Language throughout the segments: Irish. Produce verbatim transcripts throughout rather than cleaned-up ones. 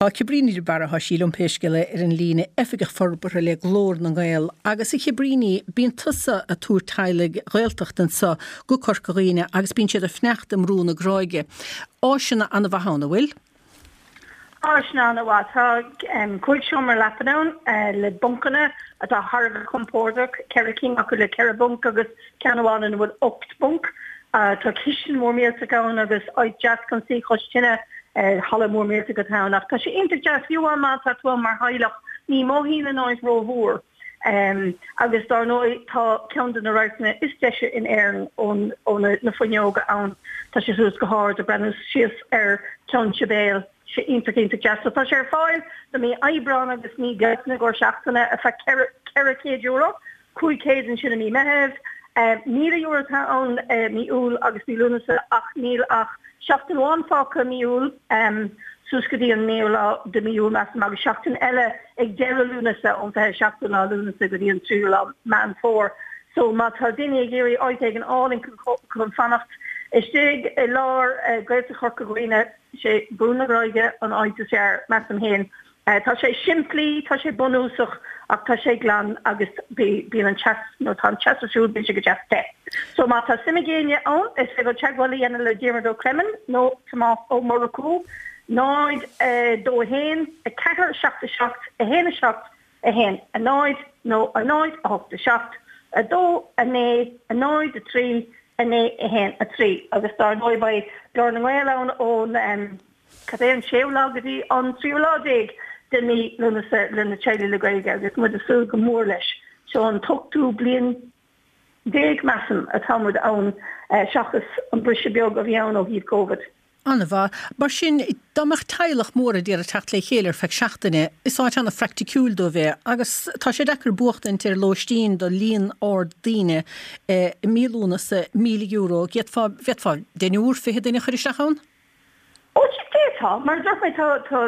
Tá Cabríní de Barra sí liom pé scéal é ar an líne oifigeach forbartha le Glór na nGael agus a Chabríní bíonn tusa ag tabhairt teaghlaigh Ghaeltachta anseo go Corca Dhuibhne agus bíonn siad ag fanacht i mBrú na Gráige. Áiseanna an-mhaith ann an bhfuil? Áiseanna an-mhaith tá cúig seomra leapa ann le buncanna atá thar a bheith compordach ceithre cinn acu le ceithre bhunc agus ceann amháin ina bhfuil ocht mbunc. Tá cistin mór millteach ann agus áit deas chun suí cois tine halla mór millteach atá ann ach tá sé iontach deas fiú má tá tú mar theaghlach ní mothaíonn an áit rómhór. Um, agus dar ndóigh tá ceann de na radharcanna is deise in Éirinn ón ó na, na fuinneoga ann Tá sé suas go hard ag breathnú síos ar Cheann Sibéal sé iontach iontach deas. So tá sé ar fáil do mí Aibreán agus mí Bealtaine i gcomhair seachtaine ar feadh ceithre chéad euro, cúig chéad ansin i mí Meitheamh, míle euro atá ann mí Iúil agus mí Lúnasa ach níl ach seachtain amháin fágtha mí Iúil suas go dtí an naoú lá de mí Iúil measaim agus seachtain eile ag deireadh Lúnasa ón fiche seachtú lá Lúnasa go dtí an tríú lá Meán Fómhair. So má tá duine ag iarraidh áit éigin álainn chun fanacht istigh i lár Gaeltacht Chorca Dhuibhne sé Brú na Gráige an áit is fearr measaim féin. Tá sé simplí, tá sé bunúsach ach tá sé glan agus bíonn an teas nó tá an teas ar siúl bíonn sé go deas te. So má tá suim ag éinne ann is féidir teagmháil a dhéanamh le Diarmuid Ó Creimin nó Tomás Ó Murchú náid dó a haon a ceathair seacht a seacht a haon a seacht a haon a náid nó a náid a hocht a seacht a dó a naoi a náid a trí a naoi a haon a trí agus dar ndóigh beidh Glór na nGael ann ón um, cad é an séú lá go dtí an tríú lá déag de mí Lúnasa le na teaghlaigh le Gaeilge agus muid ag súil go mór leis. Seo an t-ochtú bliain déag measaim atá muid ann seachas an briseadh beag a bhí ann ó thaobh Covid. An-mhaith. Mar sin dá mbeadh teaghlach mór ag iarraidh teacht le chéile ar feadh seachtaine, is áit an-phraiticiúil dóibh é, agus tá sé deacair buachtaint ar lóistín do líon ard daoine i mí Lúnasa míle euro, d'fhéadfá d'fhéadfá deichniúr fiche duine a chur isteach ann? Ó tá mar dúirt mé tá tá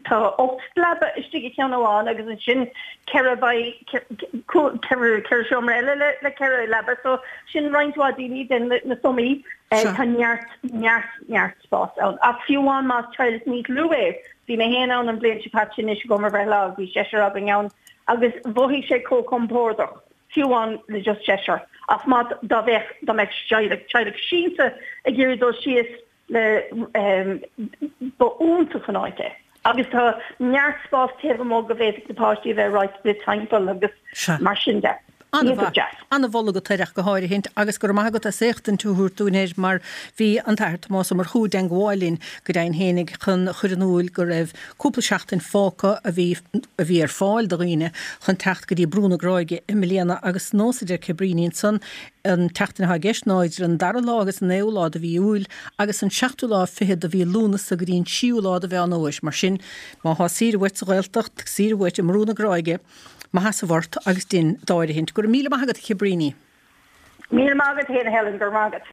tá ocht leaba istigh i ceann amháin agus ansin ceithre ceithre ceithre seomra eile le le ceithre leaba so sin roinnt mhaith daoine den na sumaí tá neart neart neart spás ann. Ach fiú amháin más teaghlach níos lú é, bhí mé féin ann an bhliain seo caite anois go mar bhreithlá bhí seisear againn ann agus mhothaigh sé chomh compordach fiú amháin le just seisear. Ach má dá bheadh dá mbeadh teaghlach teaghlach sínte ag iarraidh dul síos le um, ba iontach an áit é. Agus tá neart spás taobh amuigh go bhféadfadh na páistí a bheith right le timpeall agus mar sin de. An-mholadh agat go háirithe agus go raibh maith agat as éachtaint a thabhairt dúinn air mar bhí an tAthair Tomás Ó Murchú i dteagmháil linn go deimhin fhéinig chun chur in iúl go raibh cúpla seachtain fágtha a bhí a bhí ar fáil do dhaoine chun teacht go dtí Brú na Gráige i mbliana agus nós a deir Cabríní ansan an tseachtain atá i gceist ná idir an dara lá agus an naoú lá de mhí Iúil agus an seachtú lá fiche de mhí Lúnasa go dtí an tríú lá de Mheán Fhómhair mar sin má thá saoire uait sa Ghaeltacht saoire uait i mBrú na Gráige má sheasamh ort agus dein d'áirithint. Go raibh míle maith agat Cabríní. Míle maith agat féin Helen gur maith agat.